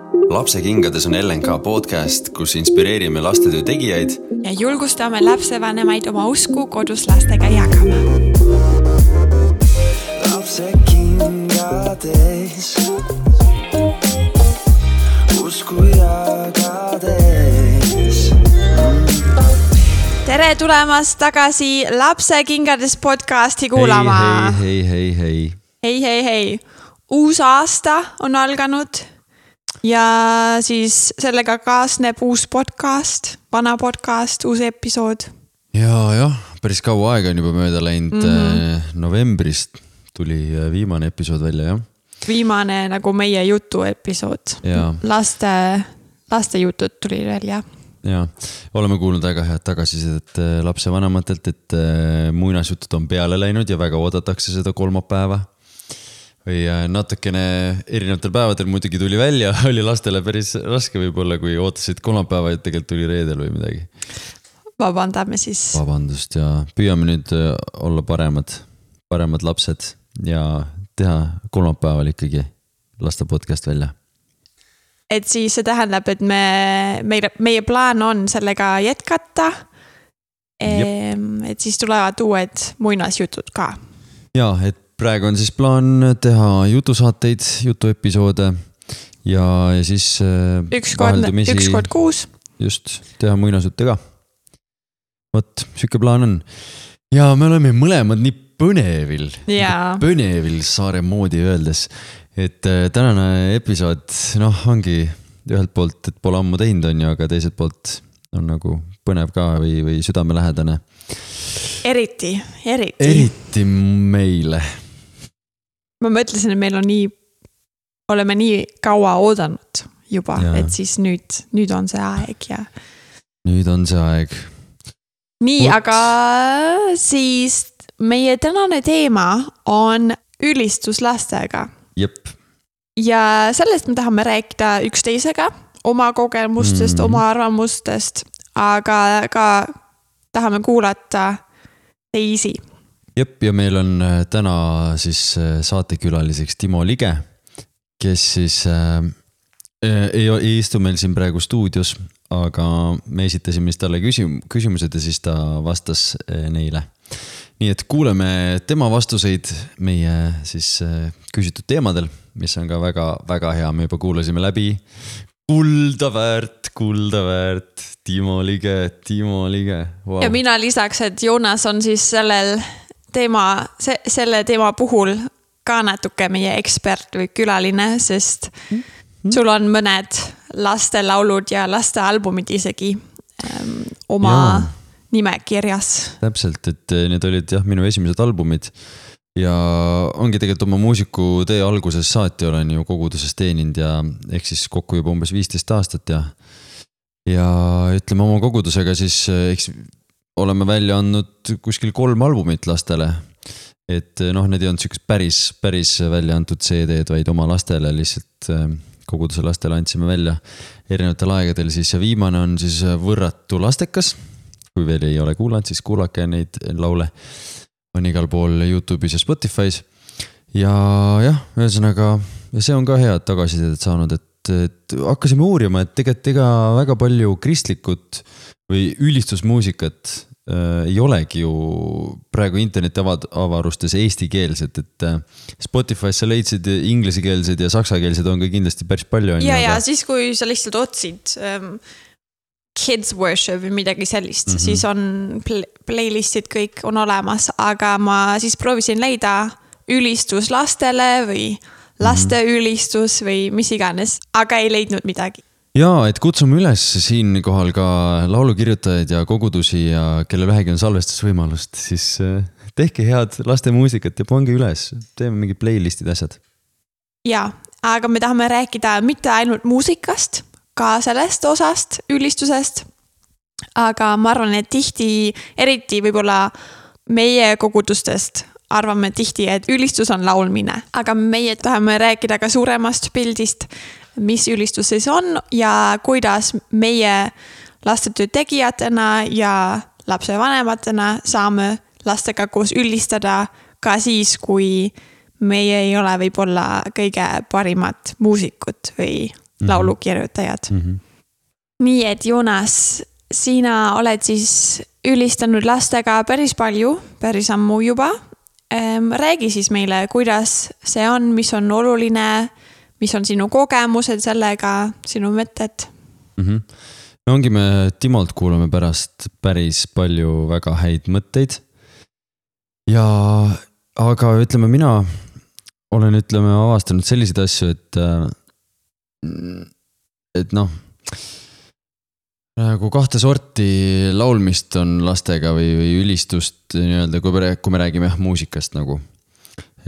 Lapsekingades on LNK podcast, kus inspireerime lastetöö tegijaid ja julgustame lapsevanemaid oma usku kodus lastega jagama. Lapsekingades usku jagades. Tere tulemast tagasi Lapsekingades podcasti kuulama. Hei. Hei. Uus aasta on alganud ja siis sellega kaasneb uus podcast, vana podcast, uus episood. Ja, päris kaua aega on juba mööda läinud. Novembrist tuli viimane episood välja, jah? Viimane nagu meie jutu episood. Ja. Laste jutud tuli välja. Ja, oleme kuulnud väga head tagasisidet lapsevanematelt, et muinasjutud on peale läinud ja väga oodatakse seda kolmapäeva. Või natukene erinevatel päevadel muidugi tuli välja, oli lastele päris raske võib-olla, kui ootasid kolmapäeva, et tegelikult tuli reedel või midagi. Vabandame siis. Vabandust ja püüame nüüd olla paremad lapsed ja teha kolmapäeval ikkagi laste podcast välja. Et siis see tähendab, et meie plaan on sellega jätkata, et siis tulevad uued muinasjutud ka. Ja, et praegu on siis plaan teha jutusaateid, jutuepisoode ja siis üks kord kuus. Just, teha muinasjutte ka. Vot, süke plaan on. Ja me oleme mõlemad nii põnevil Saare moodi öeldes, et tänane episood ongi ühelt poolt, et pole ammu teinud on ju, aga teiselt poolt on nagu põnev ka või südamelähedane. Eriti meile. Ma mõtlesin, et meil on oleme nii kaua oodanud juba, et siis nüüd on see aeg ja. Nüüd on see aeg. Nii, aga siis meie tänane teema on ülistus lastega. Jep. Ja sellest me tahame rääkida üksteisega, oma kogemustest, oma arvamustest, aga ka tahame kuulata teisi. Jep, ja meil on täna siis saatekülaliseks Timo Lige, kes siis ei istu meil siin praegu stuudios, aga me esitasime talle küsimused ja siis ta vastas neile. Nii et kuuleme tema vastuseid meie siis küsitud teemadel, mis on ka väga hea. Me juba kuulasime läbi. Kulda väärt, Timo Lige. Wow. Ja mina lisaks, et Joonas on siis selle teema puhul ka natuke meie ekspert või külaline, sest sul on mõned lastelaulud ja lastealbumid isegi oma nimekirjas. Täpselt, et need olid minu esimesed albumid ja ongi tegelikult oma muusiku tee alguses saati olen ju koguduses teeninud ja ehk siis kokku juba umbes 15 aastat ja ütleme oma kogudusega siis oleme välja andnud kuskil 3 albumit lastele, et need ei olnud sükest päris välja antud CD-d, vaid oma lastele lihtsalt koguduse lastele andsime välja erinevatel aegadel siis ja viimane on siis Võrratu lastekas, kui veel ei ole kuulanud, siis kuulake neid laule, on igal pool YouTube'is ja Spotify's ja ühesõnaga ja see on ka head tagasisidet saanud, et hakkasime uurima, et tegelikult väga palju kristlikut või ülistusmuusikat ei olegi ju praegu interneti avarustes eestikeelsed, et Spotify's sa leidsid inglesikeelsed ja saksakeelsed on ka kindlasti päris palju. Ja siis kui sa lihtsalt otsid kids worship või midagi sellist, siis on playlistid kõik on olemas, aga ma siis proovisin leida ülistus lastele või laste ülistus või mis iganes, aga ei leidnud midagi. Ja, et kutsume üles siin kohal ka laulukirjutajaid ja kogudusi ja kelle vähegi on salvestusvõimalust, siis tehke head laste muusikat ja pange üles, teeme mingid playlistid asjad. Ja, aga me tahame rääkida mitte ainult muusikast, ka sellest osast, ülistusest, aga ma arvan, et tihti, eriti võib-olla meie kogudustest arvame tihti, et ülistus on laulmine, aga meie tahame rääkida ka suuremast pildist, mis ülistus siis on ja kuidas meie lastetöö tegijatena ja lapsevanematena saame lastega koos ülistada ka siis, kui meie ei ole võib-olla kõige parimad muusikud või laulukirjutajad. Nii et Joonas, sina oled siis ülistanud lastega päris palju, päris ammu juba. Räägi siis meile, kuidas see on, mis on oluline, mis on sinu kogemused sellega, sinu mõtted? No ongi, me Timolt kuulame pärast päris palju väga häid mõtteid. Aga ütleme, mina olen avastanud selliseid asju, et noh, nagu kahte sorti laulmist on lastega või ülistust nii-öelda, kui me räägime muusikast nagu.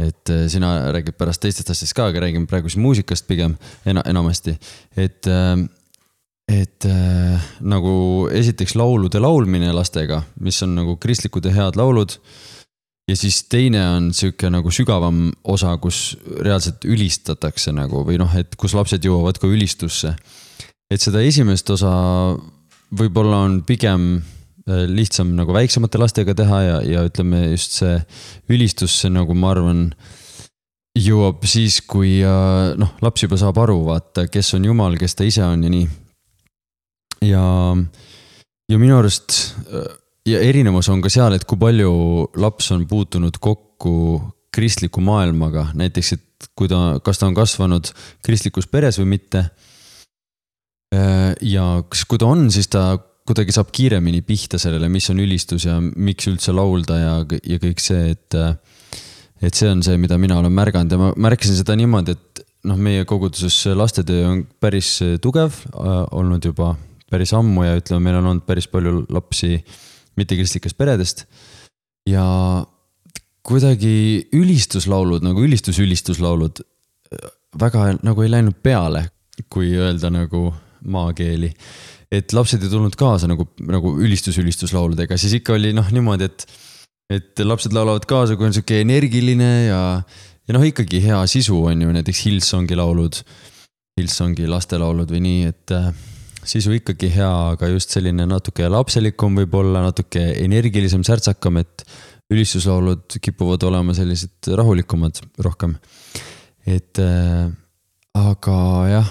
Et sina räägid pärast teistest asjast ka, aga räägime praegu siis muusikast pigem enamasti. Et nagu esiteks laulude laulmine lastega, mis on nagu kristlikud ja head laulud. Ja siis teine on siuke nagu sügavam osa, kus reaalselt ülistatakse nagu, või noh, et kus lapsed jõuavad ka ülistusse. Et seda esimest osa võib-olla on pigem lihtsam nagu väiksemate lastega teha ja ütleme just see ülistusse nagu ma arvan jõuab siis, kui noh, laps juba saab aru, vaata, kes on Jumal, kes ta ise on ja nii. Ja minu arust ja erinevus on ka seal, et kui palju laps on puutunud kokku kristliku maailmaga, näiteks, et kas ta on kasvanud kristlikus peres või mitte. Ja kui ta on, siis ta kuidagi saab kiiremini pihta sellele, mis on ülistus ja miks üldse laulda ja kõik see, et see on see, mida mina olen märganud ja ma märkasin seda niimoodi, et noh, meie koguduses lastetöö on päris tugev olnud juba päris ammu ja ütleme, meil on olnud päris palju lapsi mittekristlikest peredest ja kuidagi ülistuslaulud, nagu ülistuslaulud väga nagu ei läinud peale, kui öelda nagu maakeeli. Et lapsed ei tulnud kaasa nagu ülistuslauludega, siis ikka oli noh niimoodi, et lapsed laulavad kaasa, kui on siuke energiline ja noh ikkagi hea sisu on ju, näiteks Hillsongi laulud, Hillsongi lastelaulud või nii, et sisu ikkagi hea, aga just selline natuke lapselikum võib-olla, natuke energilisem, särtsakam, et ülistuslaulud kipuvad olema sellised rahulikumad rohkem. Et aga jah,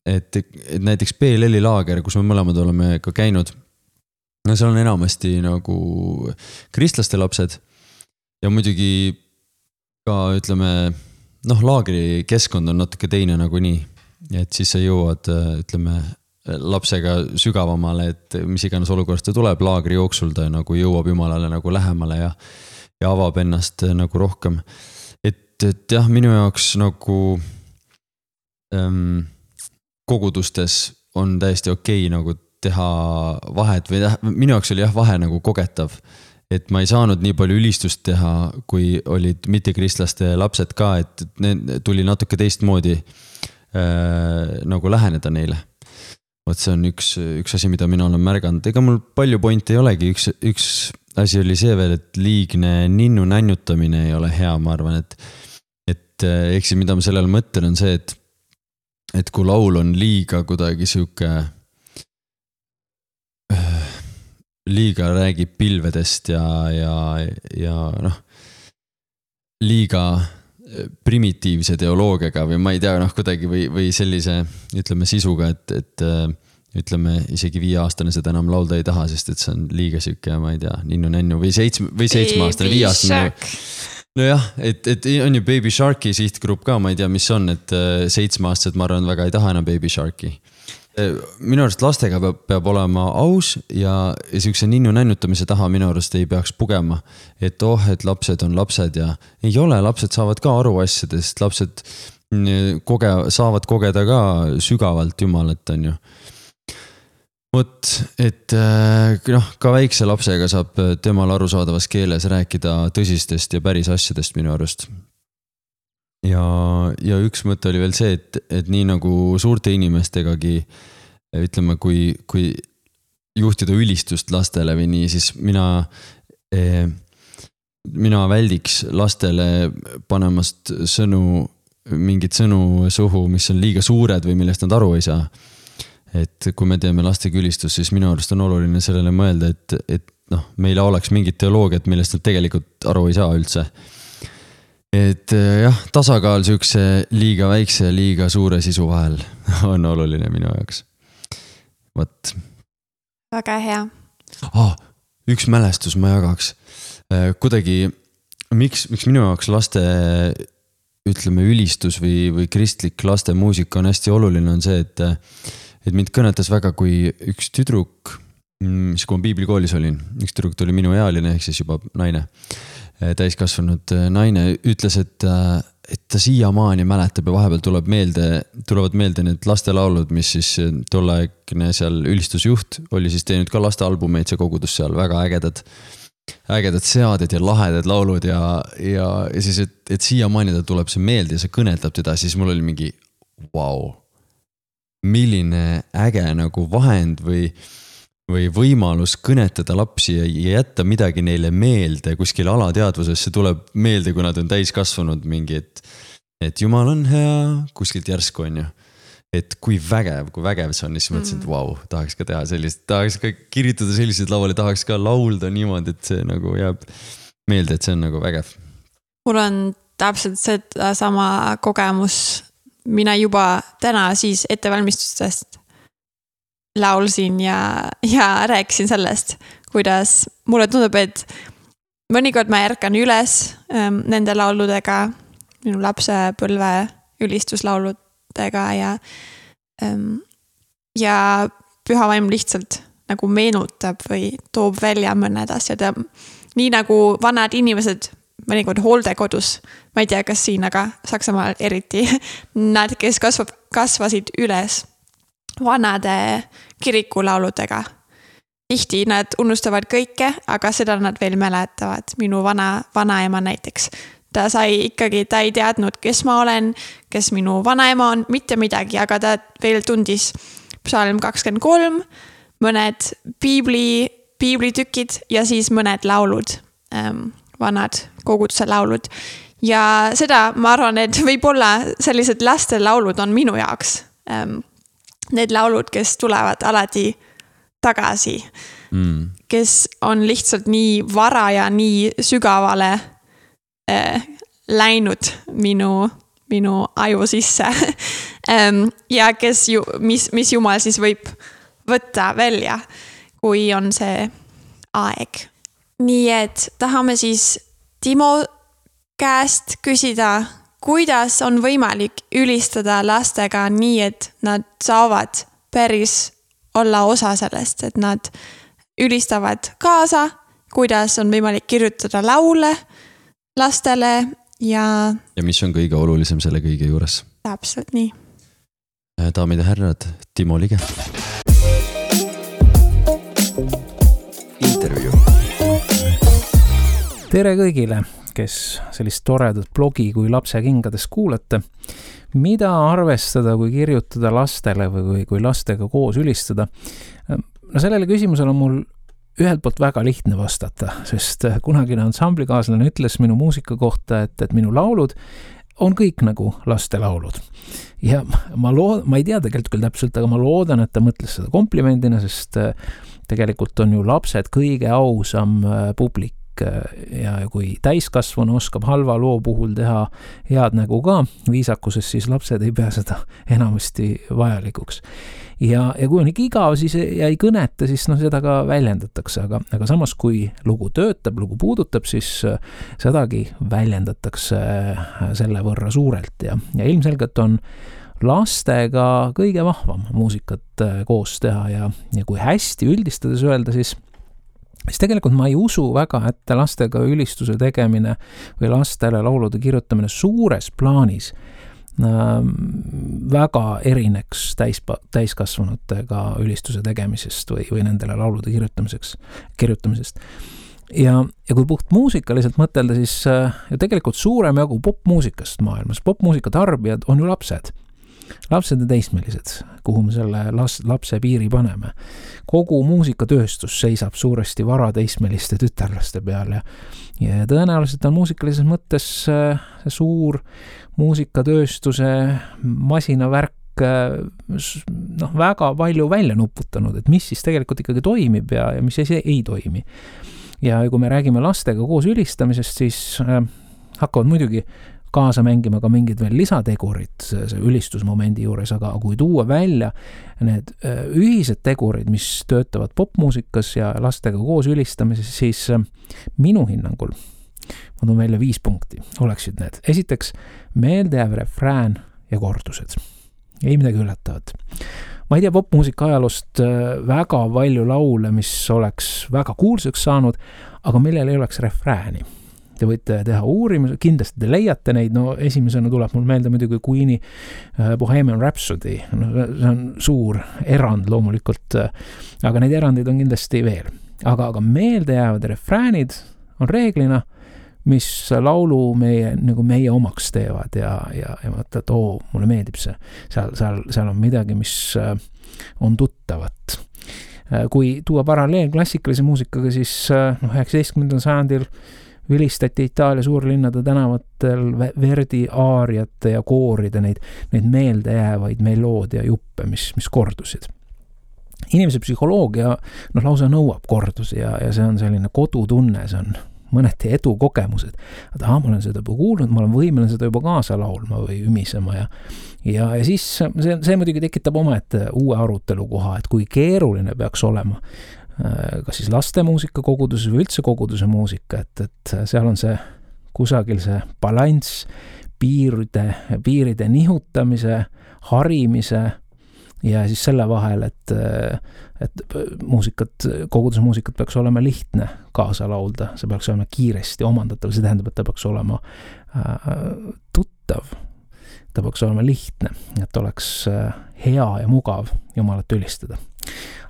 et näiteks PLL-i laager, kus me mõlemad oleme ka käinud, no seal on enamasti nagu kristlaste lapsed ja muidugi ka ütleme, noh laagri keskkond on natuke teine nagu nii, et siis sa jõuad, ütleme, lapsega sügavamale, et mis iganes olukorrast ta tuleb, laagri jooksul ta nagu jõuab Jumalale nagu lähemale ja avab ennast nagu rohkem. Et jah, minu jaoks nagu kogudustes on täiesti okei nagu teha vahet või minu jaoks oli jah vahe nagu kogetav, et ma ei saanud nii palju ülistust teha, kui olid mittekristlaste lapsed ka, et tuli natuke teistmoodi nagu läheneda neile. Vot see on üks asi, mida mina olen märganud. Ega mul palju pointi ei olegi. Üks asi oli see veel, et liigne ninnu nännutamine ei ole hea, ma arvan, et eks mida ma sellele mõtlen on see, et kui laul on liiga kuidagi siuke liiga räägib pilvedest ja noh, liiga primitiivse teoloogiaga või ma ei tea, noh kuidagi või sellise, ütleme sisuga, et ütleme isegi 5-aastane seda enam laulda ei taha, sest et see on liiga siuke, ma ei tea, ninnu-nännu või 7-aastane, 5-aastane. No jah, et on ju Baby Sharki sihtgrupp ka, ma ei tea, mis on, et 7-aastased ma arvan väga ei taha enam Baby Sharki. Minu arust lastega peab olema aus ja siukse ninnu nännutamise taha minu arust ei peaks pugema, et et lapsed on lapsed ja ei ole, lapsed saavad ka aru asjadest, lapsed saavad kogeda ka sügavalt Jumalat, on ju. Vot, et noh, ka väikse lapsega saab temal arusaadavas keeles rääkida tõsistest ja päris asjadest minu arust. Ja üks mõte oli veel see, et nii nagu suurte inimestegagi, ütleme, kui juhtida ülistust lastele või nii, siis mina väldiks lastele panemast mingid sõnu suhu, mis on liiga suured või millest nad aru ei saa. Et kui me teeme lastega ülistust, siis minu arust on oluline sellele mõelda, et noh, meile oleks mingid teoloogiad, millest nad tegelikult aru ei saa üldse. et jah, tasakaal siukse liiga väikse ja liiga suure sisu vahel on oluline minu jaoks. Võt. Väga hea. Üks mälestus ma jagaks. Kuidagi, miks minu jaoks laste, ütleme, ülistus või kristlik laste muusika on hästi oluline, on see, et mind kõnetas väga, kui üks tüdruk, mis kui ma piiblikoolis olin, üks tüdruk tuli minu ealine, ehk siis juba naine, täiskasvanud naine, ütles, et ta siiamaani mäletab ja vahepeal tulevad meelde need lastelaulud, mis siis tolleaegne seal ülistusjuht oli siis teinud ka lastealbumeid, see kogudus seal, väga ägedad seaded ja lahedad laulud ja siis, et siiamaani ta tuleb see meelde ja see kõnetab teda, siis mul oli mingi vau, milline äge nagu vahend või võimalus kõnetada lapsi ja jätta midagi neile meelde kuskil alateadvuses, see tuleb meelde, kui nad on täiskasvanud mingi, et Jumal on hea, kuskilt järsku on ju. Et kui vägev see on, siis mõtlesin, et vau, tahaks ka teha sellist, tahaks ka kirjutada sellised lauale, tahaks ka laulda niimoodi, et see nagu jääb meelde, et see on nagu vägev. Mul on täpselt seda sama kogemus, mina juba täna siis ettevalmistustest laulsin ja rääkisin sellest, kuidas mulle tundub, et mõnikord ma ärkan üles nende lauludega, minu lapsepõlve ülistuslauludega ja püha vaim lihtsalt nagu meenutab või toob välja mõned asjad ja nii nagu vanad inimesed mõnikord hooldekodus, ma ei tea, kas siin, aga Saksamaal eriti, nad, kes kasvasid üles vanade kirikulauludega. Tihti nad unustavad kõike, aga seda nad veel mäletavad. Minu vanaema näiteks. Ta ei teadnud, kes ma olen, kes minu vanaema on, mitte midagi, aga ta veel tundis psalm 23, mõned piiblitükid ja siis mõned laulud, vanad koguduse laulud. Ja seda ma arvan, et võib-olla sellised laste laulud on minu jaoks. Need laulud, kes tulevad alati tagasi, kes on lihtsalt nii vara ja nii sügavale läinud minu aju sisse ja mis Jumal siis võib võtta välja, kui on see aeg. Nii et tahame siis Timo käest küsida, kuidas on võimalik ülistada lastega nii, et nad saavad päris olla osa sellest, et nad ülistavad kaasa, kuidas on võimalik kirjutada laule lastele ja mis on kõige olulisem selle kõige juures? Täpselt nii. Daamid ja härrad, Timo Lige. Intervjuu. Tere kõigile, kes sellist toredat blogi kui Lapse kingades kuulate. Mida arvestada, kui kirjutada lastele või kui lastega koos ülistada? No sellele küsimusele on mul ühelt poolt väga lihtne vastata, sest kunagine ansamblikaaslane ütles minu muusika kohta, et minu laulud on kõik nagu laste laulud. Ja ma ei tea tegelikult küll täpselt, aga ma loodan, et ta mõtles seda komplimendina, sest tegelikult on ju lapsed kõige ausam publik. Ja kui täiskasvanu oskab halva loo puhul teha head nägu ka viisakuses, siis lapsed ei pea seda enamasti vajalikuks. Ja kui on ikka igav siis ja ei kõneta, siis seda ka väljendatakse, aga samas kui lugu töötab, lugu puudutab, siis sedagi väljendatakse selle võrra suurelt ja ilmselgelt on lastega kõige vahvam muusikat koos teha ja kui hästi üldistades öelda, siis tegelikult ma ei usu väga, et lastega ülistuse tegemine või lastele laulude kirjutamine suures plaanis väga erineks täiskasvanutega ülistuse tegemisest või nendele laulude kirjutamisest. Ja kui puht muusikaliselt mõtelda, siis tegelikult suurem jagu popmuusikast maailmas, popmuusika tarbijad on ju lapsed ja teismelised, kuhu me selle lapse piiri paneme. Kogu muusikatööstus seisab suuresti varateismeliste tütarlaste peal ja tõenäoliselt on muusikalises mõttes suur muusikatööstuse masinavärk väga palju välja nuputanud, et mis siis tegelikult ikkagi toimib ja mis ei toimi. Ja kui me räägime lastega koos ülistamisest, siis hakkavad muidugi kaasa mängima ka mingid veel lisategurid see ülistusmomendi juures, aga kui tuua välja need ühised tegurid, mis töötavad popmuusikas ja lastega koos ülistamises, siis minu hinnangul, ma toon välja 5 punkti, oleksid need. Esiteks, meeldejääv refrään ja kordused. Ei midagi üllatavat. Ma ei tea popmuusika ajaloost väga palju laule, mis oleks väga kuulsaks saanud, aga millel ei oleks refrääni. Te võite teha uurimus, kindlasti te leiate neid, no esimesena tuleb mul meelde muidugi Queen'i Bohemian Rhapsody, no, see on suur erand loomulikult, aga neid erandeid on kindlasti veel. Aga meeldejäävad refräänid on reeglina, mis laulu meie omaks teevad ja mõtled, et mulle meeldib see. Seal on midagi, mis on tuttavat. Kui tuua paralleel klassikalise muusikaga, siis 19. sajandil vilistati Itaalia suurlinnade tänavatel Verdi aariate ja kooride neid meeldejäävaid meloodia juppe, mis kordusid. Inimese psühholoogia lausa nõuab kordusi ja see on selline kodutunne, see on mõneti edu kogemused. Ma olen seda juba kuulnud, ma olen võimeline seda juba kaasa laulma või ümisema ja siis see muidugi tekitab omaette uue arutelu koha, et kui keeruline peaks olema kas siis lastemuusika koguduses või üldse koguduse muusika, et seal on see kusagil see balanss piiride nihutamise, harimise ja siis selle vahel, et koguduse muusikat peaks olema lihtne kaasa laulda, see peaks olema kiiresti omandatav, see tähendab, et ta peaks olema tuttav, ta peaks olema lihtne, et oleks hea ja mugav Jumalat ülistada.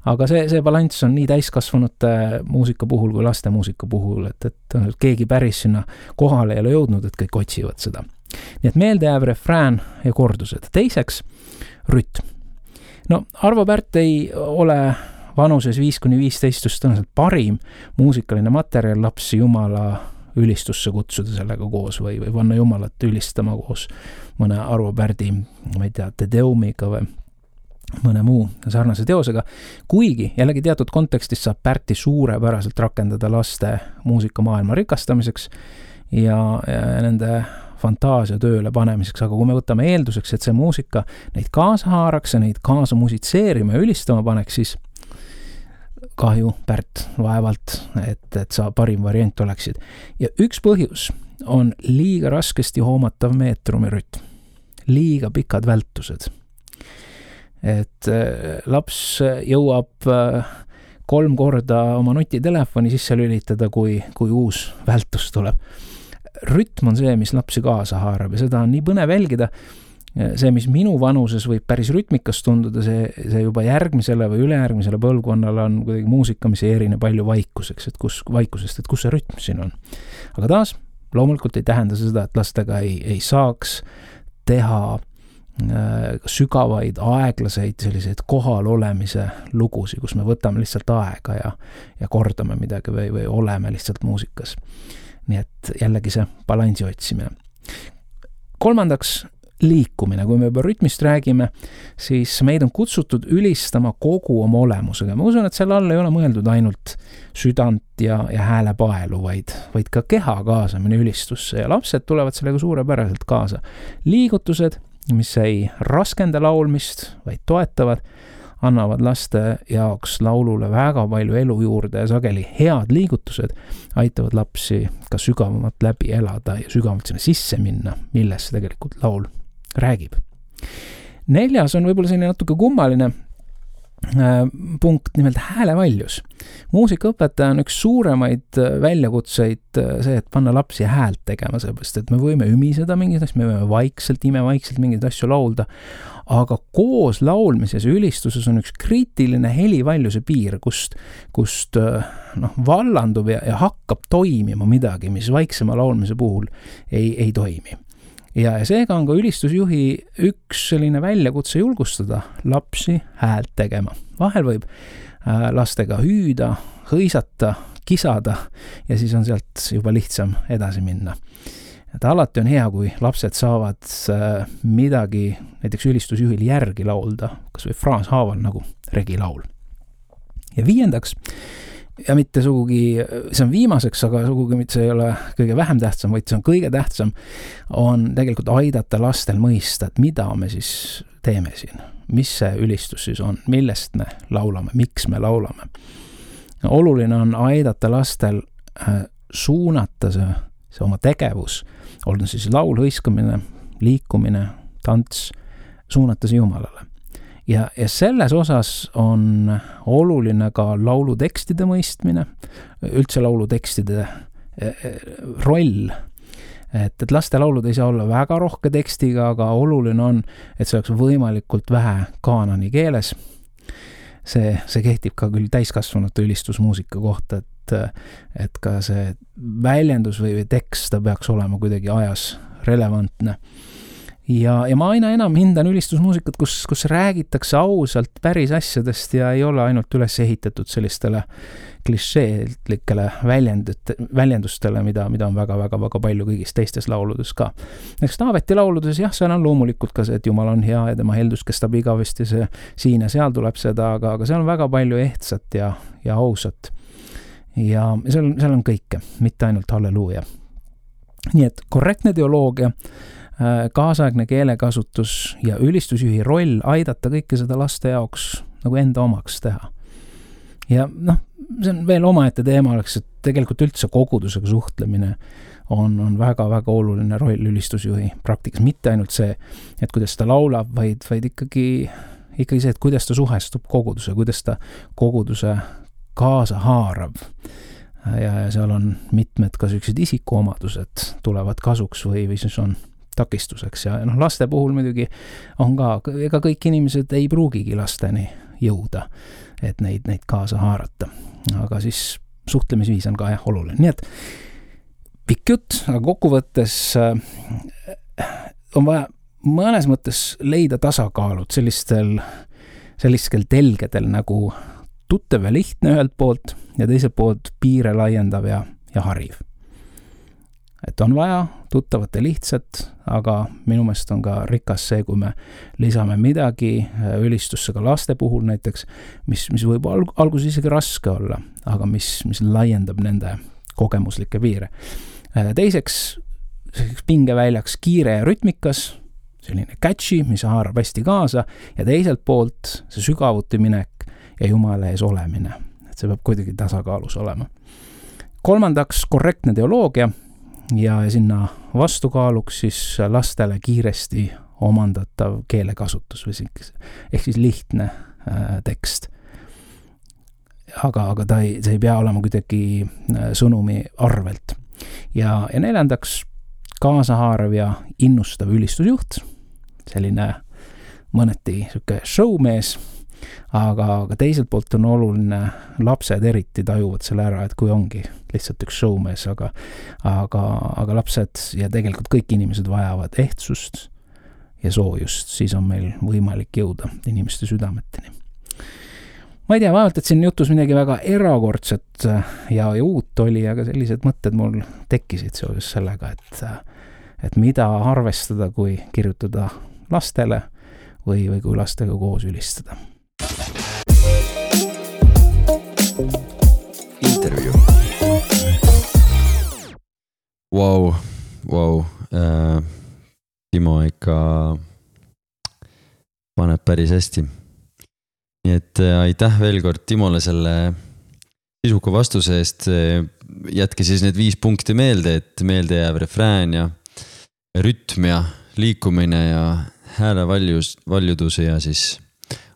Aga see balanss on nii täiskasvanute muusika puhul kui laste muusika puhul, et keegi päris sinna kohale ei ole jõudnud, et kõik otsivad seda. Nii et meeldejääv refrään ja kordused. Teiseks, rütm. No Arvo Pärt ei ole vanuses 5-15 just tõenäoliselt parim muusikaline materjal lapsi Jumala ülistusse kutsuda sellega koos või panna Jumalat ülistama koos mõne Arvo Pärdi, ma ei tea, Te Deumiga või mõne muu sarnase teosega, kuigi jällegi teatud kontekstis saab Pärti suurepäraselt rakendada laste muusikamaailma rikastamiseks ja nende fantaasia tööle panemiseks, aga kui me võtame eelduseks, et see muusika neid kaasa haaraks ja neid kaasa musitseerima ja ülistama paneks, siis kahju Pärt vaevalt, et sa parim variant oleksid. Ja üks põhjus on liiga raskesti hoomatav meetrumirütm, liiga pikad vältused. Et laps jõuab 3 korda oma nutitelefoni sisse lülitada, kui uus vältus tuleb. Rütm on see, mis lapsi kaasa haarab ja seda on nii põnev jälgida. See, mis minu vanuses võib päris rütmikas tunduda, see juba järgmisele või ülejärgmisele põlvkonnale on kuidagi muusika, mis ei erine palju vaikusest, et kus see rütm siin on. Aga taas, loomulikult ei tähenda seda, et lastega ei saaks teha sügavaid, aeglaseid selliseid kohal olemise lugusi, kus me võtame lihtsalt aega ja kordame midagi või oleme lihtsalt muusikas. Nii et jällegi see balansi otsimine. Kolmandaks, liikumine. Kui me juba rütmist räägime, siis meid on kutsutud ülistama kogu oma olemusega. Ma usun, et selle all ei ole mõeldud ainult südant ja häälepaelu, vaid ka keha kaasamine ülistusse ja lapsed tulevad sellega suurepäraselt kaasa. Liigutused, mis ei raskenda laulmist, vaid toetavad, annavad laste jaoks laulule väga palju elu juurde ja sageli head liigutused aitavad lapsi ka sügavamalt läbi elada ja sügavamalt sinna sisse minna, millest tegelikult laul räägib. 4. on võib-olla selline natuke kummaline punkt, nimelt häälevaljus. Muusikaõpetaja on üks suuremaid väljakutseid see, et panna lapsi häält tegema, seepärast, et me võime ümiseda mingid asju, me võime imevaikselt mingeid asju laulda, aga koos laulmises ja ülistuses on üks kriitiline helivaljuse piir, kust vallandub ja hakkab toimima midagi, mis vaiksema laulmise puhul ei toimi. Ja seega on ka ülistusjuhi üks selline väljakutse julgustada lapsi häält tegema. Vahel võib lastega hüüda, hõisata, kisada ja siis on sealt juba lihtsam edasi minna. Et alati on hea, kui lapsed saavad midagi näiteks ülistusjuhil järgi laulda, kas või fraashaaval nagu regilaul. Ja 5. ja mitte sugugi, see on viimaseks, aga sugugi mitte see ei ole kõige vähem tähtsam, vaid see on kõige tähtsam, on tegelikult aidata lastel mõista, et mida me siis teeme siin, mis see ülistus siis on, millest me laulame, miks me laulame. Oluline on aidata lastel suunata see oma tegevus, olgu siis laul, hõiskamine, liikumine, tants, suunata see Jumalale. Ja selles osas on oluline ka laulutekstide mõistmine, üldse laulutekstide roll, et laste laulud ei saa olla väga rohke tekstiga, aga oluline on, et see oleks võimalikult vähe kaanani keeles. See kehtib ka küll täiskasvanute ülistusmuusika kohta, et ka see väljendus või tekst ta peaks olema kuidagi ajas relevantne. Ja ma aina enam hindan ülistusmuusikat, kus räägitakse ausalt päris asjadest ja ei ole ainult üles ehitatud sellistele klišeelikele väljendustele, mida on väga palju kõigis teistes lauludes ka. Näiteks Taaveti lauludes, jah, seal on loomulikult ka see, et Jumal on hea ja tema heldus kestab igavesti, see siin ja seal tuleb seda, aga seal on väga palju ehtsat ja ausat. Ja seal on kõike, mitte ainult halleluuja. Nii et korrektne teoloogia, kaasaegne keelekasutus ja ülistusjuhi roll aidata kõike seda laste jaoks nagu enda omaks teha. Ja see on veel omaette teema, et tegelikult üldse kogudusega suhtlemine on väga oluline roll ülistusjuhi praktikas. Mitte ainult see, et kuidas ta laulab, vaid ikkagi see, et kuidas ta suhestub koguduse, kuidas ta koguduse kaasa haarab. Ja seal on mitmed ka sellised isikuomadused tulevad kasuks või siis on takistuseks ja laste puhul muidugi on ka, ega kõik inimesed ei pruugigi lasteni jõuda, et neid kaasa haarata. Aga siis suhtlemisviis on ka oluline. Nii et pikk jutt, aga kokkuvõttes on vaja mõnes mõttes leida tasakaalud sellistel telgedel nagu tuttav ja lihtne ühelt poolt ja teiselt poolt piire laiendav ja hariv. Et on vaja tuttavat ja lihtsat, aga minu meelest on ka rikas see, kui me lisame midagi ülistusse ka laste puhul näiteks, mis võib alguses isegi raske olla, aga mis laiendab nende kogemuslikke piire. Teiseks, pingeväljaks kiire ja rütmikas, selline catchy, mis haarab hästi kaasa ja teiselt poolt see sügavuti minek ja Jumala ees olemine. Et see peab kuidagi tasakaalus olema. Kolmandaks, korrektne teoloogia ja sinna vastukaaluks siis lastele kiiresti omandatav keelekasutus või ehk siis lihtne tekst. Aga see ei pea olema kuidagi sõnumi arvelt. Ja neljandaks, kaasahaarav ja innustav ülistusjuht, selline mõneti selline showmees, aga teiselt poolt on oluline, lapsed eriti tajuvad selle ära, et kui ongi lihtsalt üks showmees, aga lapsed ja tegelikult kõik inimesed vajavad ehtsust ja soojust, siis on meil võimalik jõuda inimeste südameteni. Ma ei tea, vaevalt, et siin jutus midagi väga erakordset ja uut oli, aga sellised mõtted mul tekkisid seoses sellega, et mida arvestada, kui kirjutada lastele või kui lastega koos ülistada. Intervjuu. Vau. Timo ikka paneb päris hästi. Nii et aitäh veel kord Timole selle sisuka vastuse eest. Jätke siis need 5 punkti meelde, et meelde jääb refrään ja rütm ja liikumine ja hääle valjudus ja siis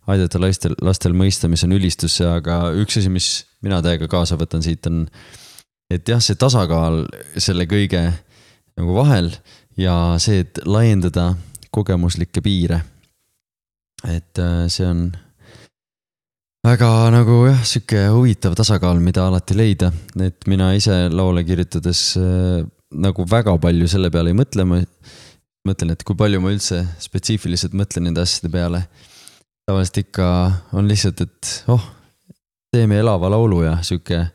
aidata lastel mõista, mis on ülistusse, aga üks asi, mis mina täiega kaasa võtan siit on, et jah, see tasakaal selle kõige nagu vahel ja see, et laiendada kogemuslikke piire. Et see on väga nagu jah, siuke huvitav tasakaal, mida alati leida, et mina ise laule kirjutades nagu väga palju selle peale ei mõtlen, et kui palju ma üldse spetsiifiliselt mõtlen nende asjade peale. Tavaliselt ikka on lihtsalt, et teeme elava laulu ja siuke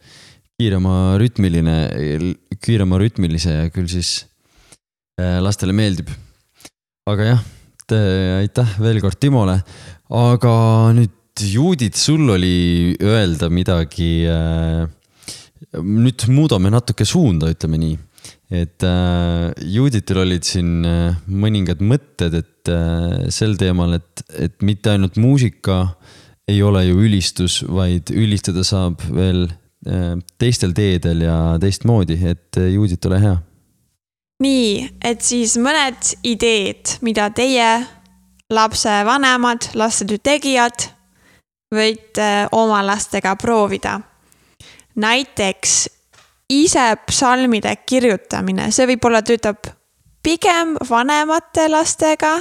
kiirema rütmilise ja küll siis lastele meeldib. Aga jah, aitäh veel kord Timole, aga nüüd Judith, sul oli öelda midagi, nüüd muudame natuke suunda, ütleme nii. Et Judithil olid siin mõningad mõtted, et sel teemal, et mitte ainult muusika ei ole ju ülistus, vaid ülistada saab veel teistel teedel ja teistmoodi, et Judith, ole hea. Nii, et siis mõned ideed, mida teie lapse vanemad, lastetöö tegijad võite oma lastega proovida. Näiteks ise psalmide kirjutamine, see võib-olla töötab pigem vanemate lastega,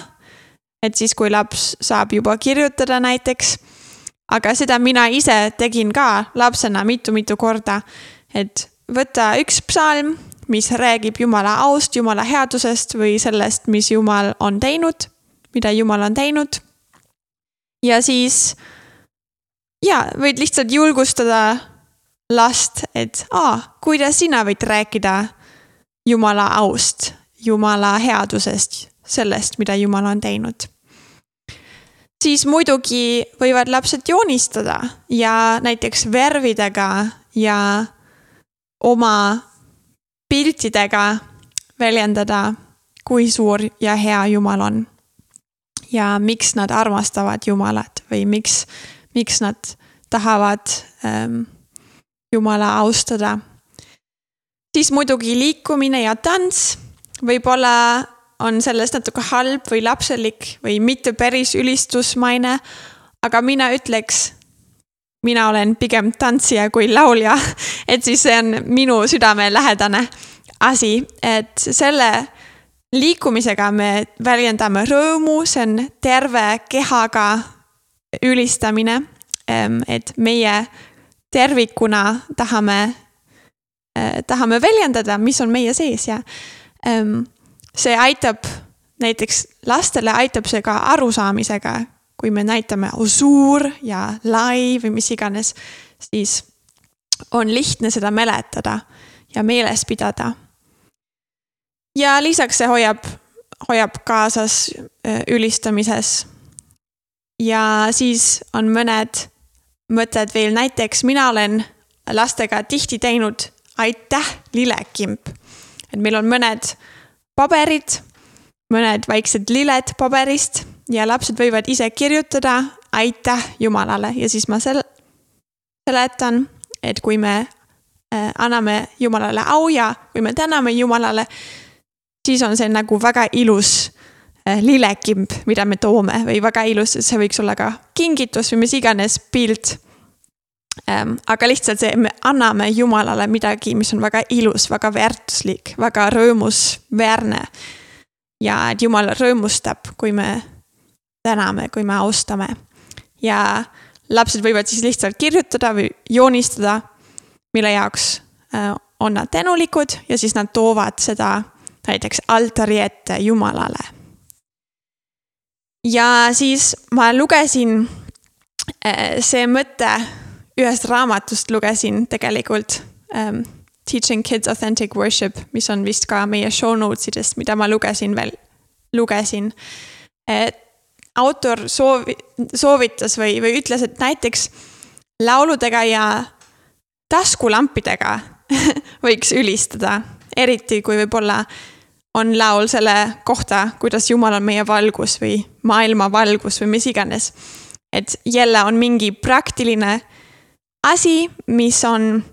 et siis kui laps saab juba kirjutada näiteks, aga seda mina ise tegin ka lapsena mitu korda, et võtta üks psalm, mis räägib Jumala aust, Jumala headusest või sellest, mis Jumal on teinud, mida Jumal on teinud. Ja siis võid lihtsalt julgustada last, et kuidas sina võid rääkida Jumala aust, Jumala headusest, sellest, mida Jumal on teinud. Siis muidugi võivad lapsed joonistada ja näiteks värvidega ja oma piltidega väljendada, kui suur ja hea Jumal on. Ja miks nad armastavad Jumalat või miks nad tahavad Jumala austada. Siis muidugi liikumine ja tants, võib-olla on sellest natuke halb või lapselik või mitte päris ülistusmaine, aga mina ütleks, mina olen pigem tantsija kui laulja, et siis see on minu südamelähedane asi, et selle liikumisega me väljendame rõõmu, see on terve kehaga ülistamine, et meie tervikuna tahame väljendada, mis on meie sees ja see aitab, näiteks lastele aitab see ka arusaamisega, kui me näitame suur ja lai või mis iganes, siis on lihtne seda mäletada ja meeles pidada. Ja lisaks see hoiab kaasas ülistamises. Ja siis on mõned mõtted veel, näiteks mina olen lastega tihti teinud aitäh lilekimp. Et meil on mõned paberid, mõned väiksed liled paberist ja lapsed võivad ise kirjutada aitäh Jumalale ja siis ma seletan, et kui me anname Jumalale au ja kui me täname Jumalale, siis on see nagu väga ilus lilekimp, mida me toome või väga ilus, see võiks olla ka kingitus või mis iganes pilt. Aga lihtsalt see, me anname Jumalale midagi, mis on väga ilus, väga väärtuslik, väga rõõmusväärne. Ja et Jumal rõõmustab, kui me täname, kui me austame. Ja lapsed võivad siis lihtsalt kirjutada või joonistada, mille jaoks on nad tänulikud ja siis nad toovad seda näiteks altari ette Jumalale. Ja siis ma lugesin see mõte ühest raamatust lugesin tegelikult Teaching Kids Authentic Worship, mis on vist ka meie show notesidest, mida ma lugesin. Autor soovitas või ütles, et näiteks lauludega ja taskulampidega võiks ülistada, eriti kui võib-olla on laul selle kohta, kuidas Jumal on meie valgus või maailma valgus või mis iganes. Et jälle on mingi praktiline asi, mis on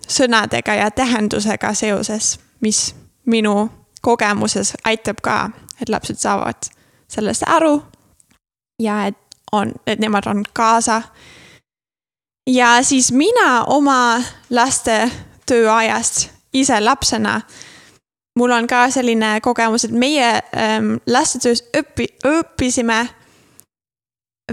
sõnadega ja tähendusega seoses, mis minu kogemuses aitab ka, et lapsed saavad sellest aru ja et nemad on kaasa. Ja siis mina oma laste tööajast ise lapsena, mul on ka selline kogemus, et meie lastetöös õppisime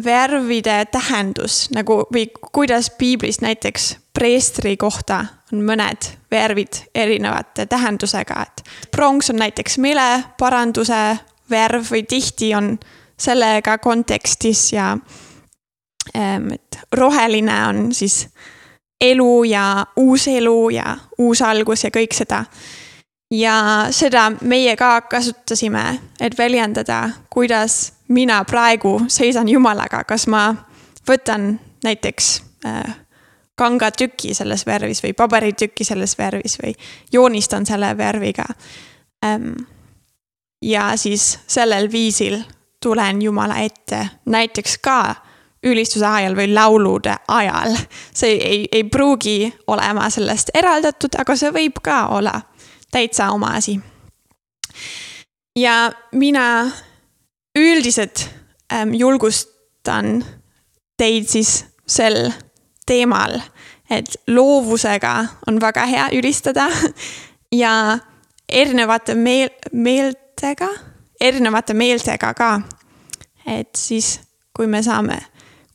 värvide tähendus, nagu või kuidas piiblis näiteks preestri kohta on mõned värvid erinevate tähendusega, et pronks on näiteks meeleparanduse värv või tihti on sellega kontekstis ja et roheline on siis elu ja uus algus ja kõik seda. Ja seda meie ka kasutasime, et väljendada, kuidas mina praegu seisan Jumalaga, kas ma võtan näiteks kangatüki selles värvis või paberitüki selles värvis või joonistan selle värviga. Ja siis sellel viisil tulen Jumala ette näiteks ka ülistuse ajal või laulude ajal. See ei pruugi olema sellest eraldatud, aga see võib ka olla täitsa oma asi. Ja mina üldiselt julgustan teid siis sel teemal, et loovusega on väga hea ülistada ja erinevate meeltega ka. Et siis, kui me saame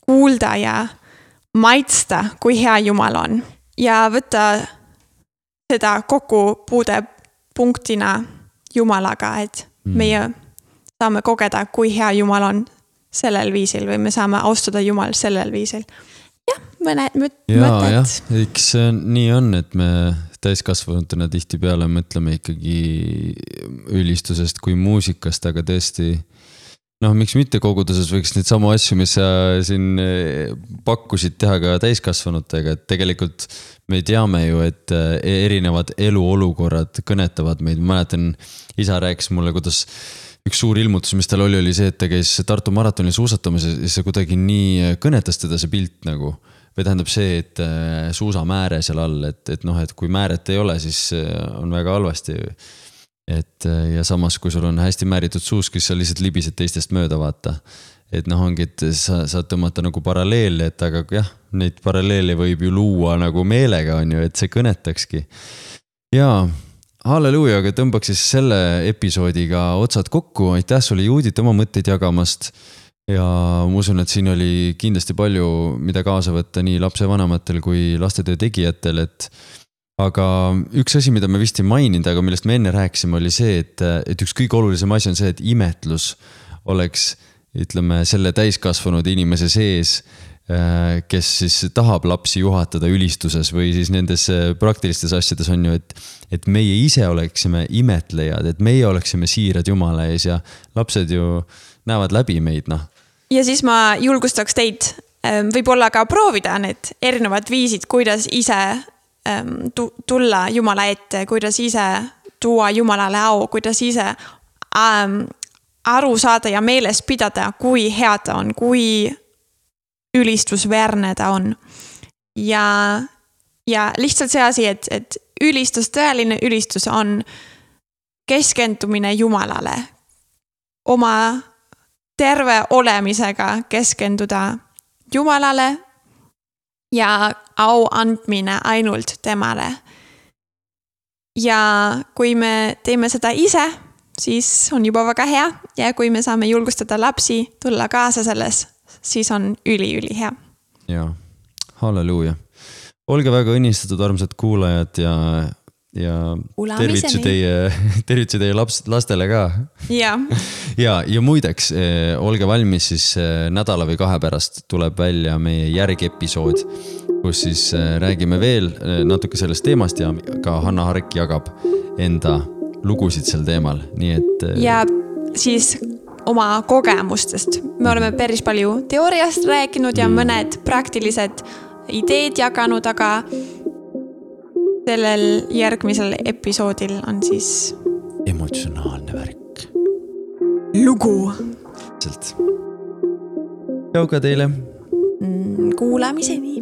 kuulda ja maitsta, kui hea Jumal on ja võtta seda kokkupuude punktina Jumalaga, et meie saame kogeda, kui hea Jumal on sellel viisil või me saame austada Jumal sellel viisil. Jah, mõned mõtted. Jah, eks nii on, et me täiskasvanutena tihtipeale mõtleme ikkagi ülistusest kui muusikast, aga tõesti miks mitte koguduses võiks neid samu asju, mis sa siin pakkusid teha ka täiskasvanutega, et tegelikult me teame ju, et erinevad eluolukorrad kõnetavad meid. Ma mäletan, isa rääkis mulle, kuidas üks suur ilmutus, mis tal oli see, et ta käis Tartu maratonil suusatamas ja see kuidagi nii kõnetas teda see pilt nagu. Või tähendab see, et suusamääre seal all, et kui määret ei ole, siis on väga halvasti. Ja samas, kui sul on hästi määritud suusk, siis sa lihtsalt libised teistest mööda vaata. Et ongi, et sa tõmmata nagu paralleeli, et aga jah, neid paralleeli võib ju luua nagu meelega on ju, et see kõnetakski. Jaa, halleluuja, aga tõmbaks siis selle episoodiga otsad kokku. Aitäh sulle, Juudit, oma mõtteid jagamast. Ja ma usun, et siin oli kindlasti palju, mida kaasa võtta nii lapsevanematel kui lastetöö tegijatel, aga üks asi, mida me vist ei maininud, aga millest me enne rääkisime, oli see, et üks kõige olulisem asi on see, et imetlus oleks, ütleme, selle täiskasvanud inimese sees, kes siis tahab lapsi juhatada ülistuses või siis nendes praktilistes asjades on ju, et meie ise oleksime imetlejad, et meie oleksime siirad Jumala ees ja lapsed ju näevad läbi meid, Ja siis ma julgustaks teid võib-olla ka proovida need erinevad viisid, kuidas ise tulla Jumala ette, kuidas ise tuua Jumalale au, kuidas ise aru saada ja meeles pidada, kui hea ta on, kui ülistusväärne ta on. Ja lihtsalt see asi, et tõeline ülistus on keskendumine Jumalale. Oma terve olemisega keskenduda Jumalale ja au andmine ainult temale. Ja kui me teeme seda ise, siis on juba väga hea ja kui me saame julgustada lapsi tulla kaasa selles, siis on üli hea. Jaa, halleluuja. Olge väga õnnistatud, armsad kuulajad ja tervitsi teie lastele ka. Ja muideks, olge valmis siis nädala või 2 pärast tuleb välja meie järgepisood, kus siis räägime veel natuke sellest teemast ja ka Hanna Hark jagab enda lugusid sel teemal. Nii et... Ja siis oma kogemustest. Me oleme päris palju teooriast rääkinud ja mõned praktilised ideed jaganud, aga sellel järgmisel episoodil on siis emotsionaalne värk. Lugu. Tšau ka teile. Kuulamiseni.